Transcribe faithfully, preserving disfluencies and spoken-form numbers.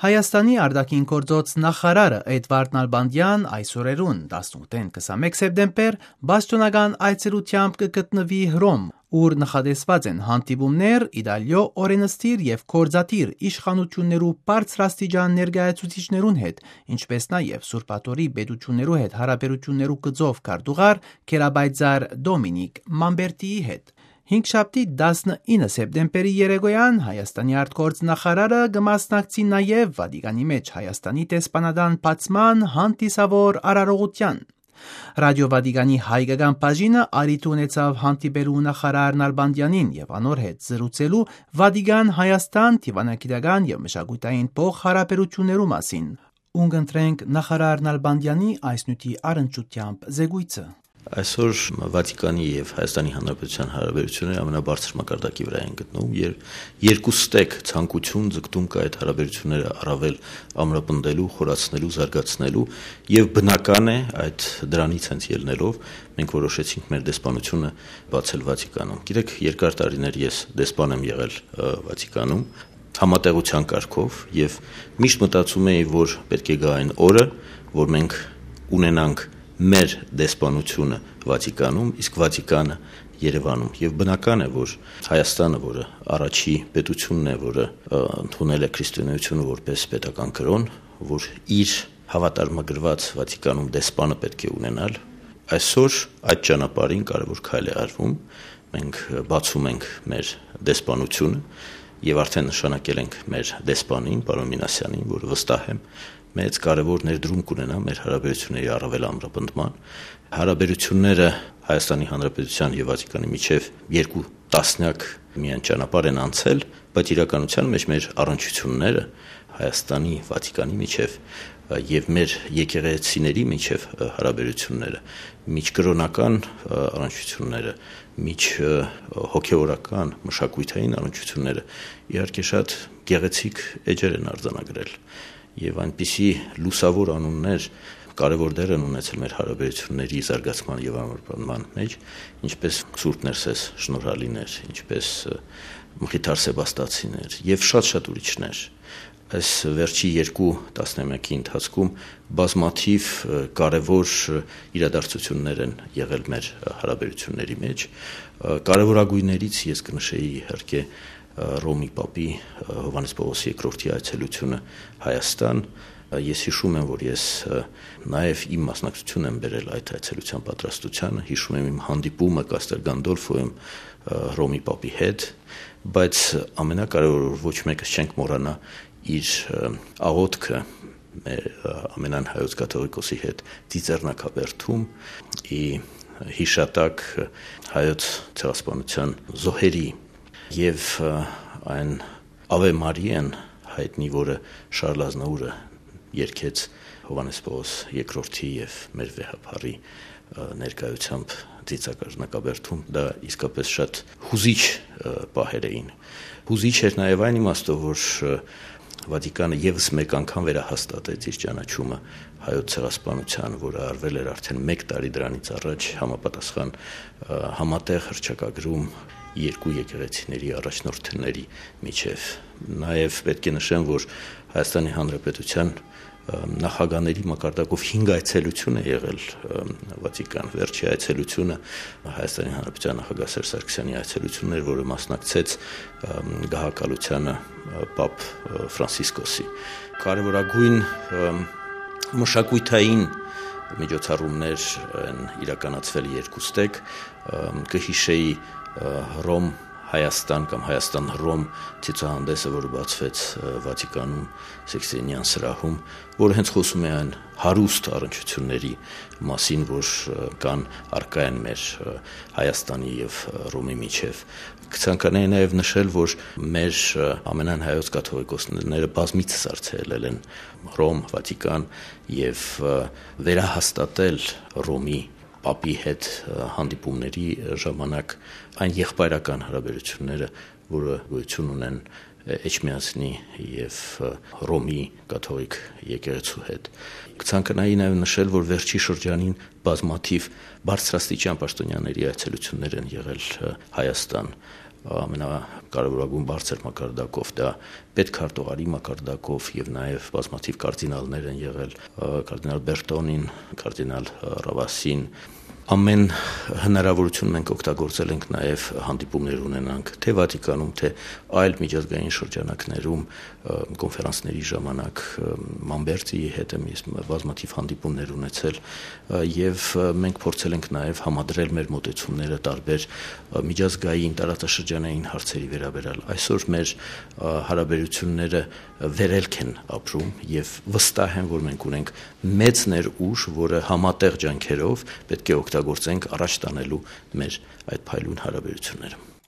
Հայաստանի արտաքին գործոց նախարարը Էդվարդ Նալբանդեան այս օրերուն, տասնութ հին քսանմէկ սեպտեմբեր, պաշտոնական այցելութեամբ կը գտնուի Հռոմ, ուր նախատեսուած են հանդիպումներ Իտալիոյ օրէնսդիր եւ գործադիր իշխանութիւններու բարձրաստիճան ներկայացուցիչներուն հետ, ինչպէս նաեւ Սուրբ Աթոռի պետութիւններու հետ հարաբերութիւններու գծով քարտուղար Գերապայծառ Դոմինիկ Մամպերտիի հետ։ Հինգշաբթի, տասնինը սեպտեմբերի երեկոյան Հայաստանի արտգործ նախարարը կը մասնակցի նաեւ Վատիկանի մէջ Հայաստանի դեսպանատան բացման հանդիսաւոր արարողութեան։ Ռադիո Վատիկանի հայկական բաժինը առիթ ունեցաւ հանդիպելու նախարար Նալբանդեանին եւ անոր հետ զրուցելու Վատիկան-Հայաստան դիվանագիտական եւ մշակութային փոխհարաբերութիւններու մասին։ Ունկնդրենք նախարար Նալբանդեանի այս նիւթի առնչութեամբ զեկոյցը։ Այսօր Վատիկանի եւ Հայաստանի Հանրապետության հարաբերութիւնները ամենաբարձր մակարդակի վրա են գտնվում, եւ երկուստեք ցանկութիւն, ձգտում կա այդ հարաբերութիւնները առավել ամրապնդելու, խորացնելու, զարգացնելու, եւ բնական է, այդ դրանից հենց ելնելով մենք որոշեցինք մեր դեսպանությունը բացել Վատիկանում։ Գիտեք, երկար տարիներ ես դեսպան եմ եղել, ը, Վատիկանում, համատեղության կարգով, եւ միշտ մտածում էի, որ պէտք է գայ այն օրը, որ մենք ունենանք մեր դեսպանությունը Վատիկանում, իսկ Վատիկանը Երևանում։ Եւ բնական է, որ Հայաստանը, որը առաջի պետությունն է, որը, ը, ընդունել է քրիստոնեությունը որպես պետական կրօն, որ իր հավատարմագրուած Վատիկանում դեսպանը պէտք է ունենալ, այսօր այդ ճանապարհին կարեւոր քայլ է արվում։ Մենք բացում ենք մեր դեսպանությունը եւ արդեն նշանակել ենք մեր դեսպանին, պարոն Մինասյանին, որ վստահ եմ, մեծ կարեւոր ներդրում կունենայ մեր հարաբերությունների առավել ամրապնդման։ Հարաբերությունները Հայաստանի Հանրապետության եւ Վատիկանի միջեւ երկու տասնեակ միայն ճանապարհ են անցել, բայց իրականության մեջ մեր առնչությունները Հայաստանի, Վատիկանի միջեւ, ը, եւ մեր եկեղեցիների միջեւ, ը, հարաբերությունները, միջկրօնական, ը, առնչությունները, միջ, ը, հոգեորական, մշակութային առնչությունները իհարկե շատ գեղեցիկ էջեր են արձանագրել։ Եւ այնպիսի լուսաւոր անուններ կարեւոր դեր են ունեցել մեր հարաբերությունների զարգացման եւ ամրապնդման մեջ, ինչպես Սուրբ Ներսես Շնորհալիներ, ինչպես, ը, Մխիթար Սեբաստացիներ եւ շատ-շատ ուրիշներ։ Այս վերջի երկու տասնամեակի ընթացքում բազմաթիվ, ը, կարեւոր, ը, իրադարձություններ են եղել մեր, ը, հարաբերությունների մեջ։ Ը, կարեւորագույններից ես կնշեի իհարկե, ը, Ռոմի Պապի, ը, Հովհաննես Պաւլոս երկրորդի այցելությունը Հայաստան։ Ը, ես հիշում եմ, որ ես, ը, նաեւ իմ մասնակցություն եմ բերել այդ այցելության պատրաստությանը, հիշում եմ իմ հանդիպումը Կաստել Գանդոլֆոյում, ը, Ռոմի Պապի հետ, բայց ամենակարեւորը, որ ոչ մեկս չենք մոռանայ իր, ը, աղօթքը մեր, ը, ամենայն հայոց կաթողիկոսի հետ Ծիծեռնակաբերդում, ի հիշատակ հայոց ցեղասպանության զոհերի, եւ, ը, այն Ave Maria'n հայտնի, որը Շարլ Ազնաուրը երգեց Հովհաննես Պողոս երկրորդի եւ մեր վեհափառի, ը, ներկայությամբ Ծիծեռնակաբերդում, դա իսկապես շատ հուզիչ, ը, պահեր էին։ Հուզիչ էր նաեւ այն իմաստով, որ, ը, Վատիկանը եւս մեկ անգամ վերահաստատեց իր ճանաչումը հայոց ցեղասպանության, որը արվել էր արդեն մեկ տարի դրանից առաջ համապատասխան, ը, համատեղ հռչակագրում երկու եկեղեցիների առաջնորդների միջեւ։ Նաեւ պէտք է նշեմ, որ Հայաստանի Հանրապետության, ը, նախագահների մակարդակով հինգ այցելություն է եղել, ը, Վատիկան։ Վերջի այցելությունը Հայաստանի Հանրապետության նախագահ Սերժ Սարգսյանի այցելությունն էր, որը մասնակցեց, ը, գահակալությանը, ը, Պապ, ը, Ֆրանցիսկոսի։ Կարեւորագույն, ը, մշակութային միջոցառումներ են իրականացվել երկուստեք, ը, կը հիշեի, ը, Ռոմ Հայաստան կամ Հայաստան Ռոմ ցուցահանդեսը, որը բացվեց, ը, Վատիկանում, Սիքսինեան սրահում, որը հենց խոսում է այն հարուստ առնչությունների մասին, որ, ը, կան, առկայ են մեր, ը, Հայաստանի եւ, ը, Ռոմի միջեւ։ Կցանկանայի նաեւ նշել, որ մեր, ը, ամենայն հայոց կաթողիկոսները բազմիցս այցելել են Ռոմ, Վատիկան եւ, ը, վերահաստատել Ռոմի Պապի հետ, ը, հանդիպումների ժամանակ այն եղբայրական հարաբերությունները, որը գոյություն ունեն, ը, Էջմիածնի եւ, ը, Ռոմի կաթողիկ եկեղեցու հետ։ Կցանկանայի նաեւ նշել, որ վերջի շրջանին բազմաթիվ բարձրաստիճան պաշտոնյաների այցելություններ են եղել, ը, Հայաստան։ ամենակարեւորագույն բարձր մակարդակով, դա պետքարտուղարի մակարդակով, եւ նաեւ բազմաթիւ կարդինալներ են եղել, ը, կարդինալ Բերտոնին, կարդինալ, ը, Ռավասին։ Ամեն հնարաւորութիւն մենք օգտագործել ենք նաեւ հանդիպումներ ունենանք, թէ Վատիկանում, թէ այլ միջազգային շրջանակներում, ը, կոնֆերանսների ժամանակ, ը, Մամբերտիի հետ եմ ես բազմաթիվ հանդիպումներ ունեցել, ը, եւ, ը, մենք փորձել ենք նաեւ համադրել մեր մոտեցումները տարբեր, ը, միջազգային, տարածաշրջանային հարցերի վերաբերյալ։ Այսօր մեր, ը, հարաբերությունները վերելք են ապրում, եւ վստահ եմ, որ մենք ունենք մեծ ներուժ, որը համատեղ ջանքերով պետք է օգտագործենք առաջ տանելու մեր այդ փայլուն հարաբերությունները։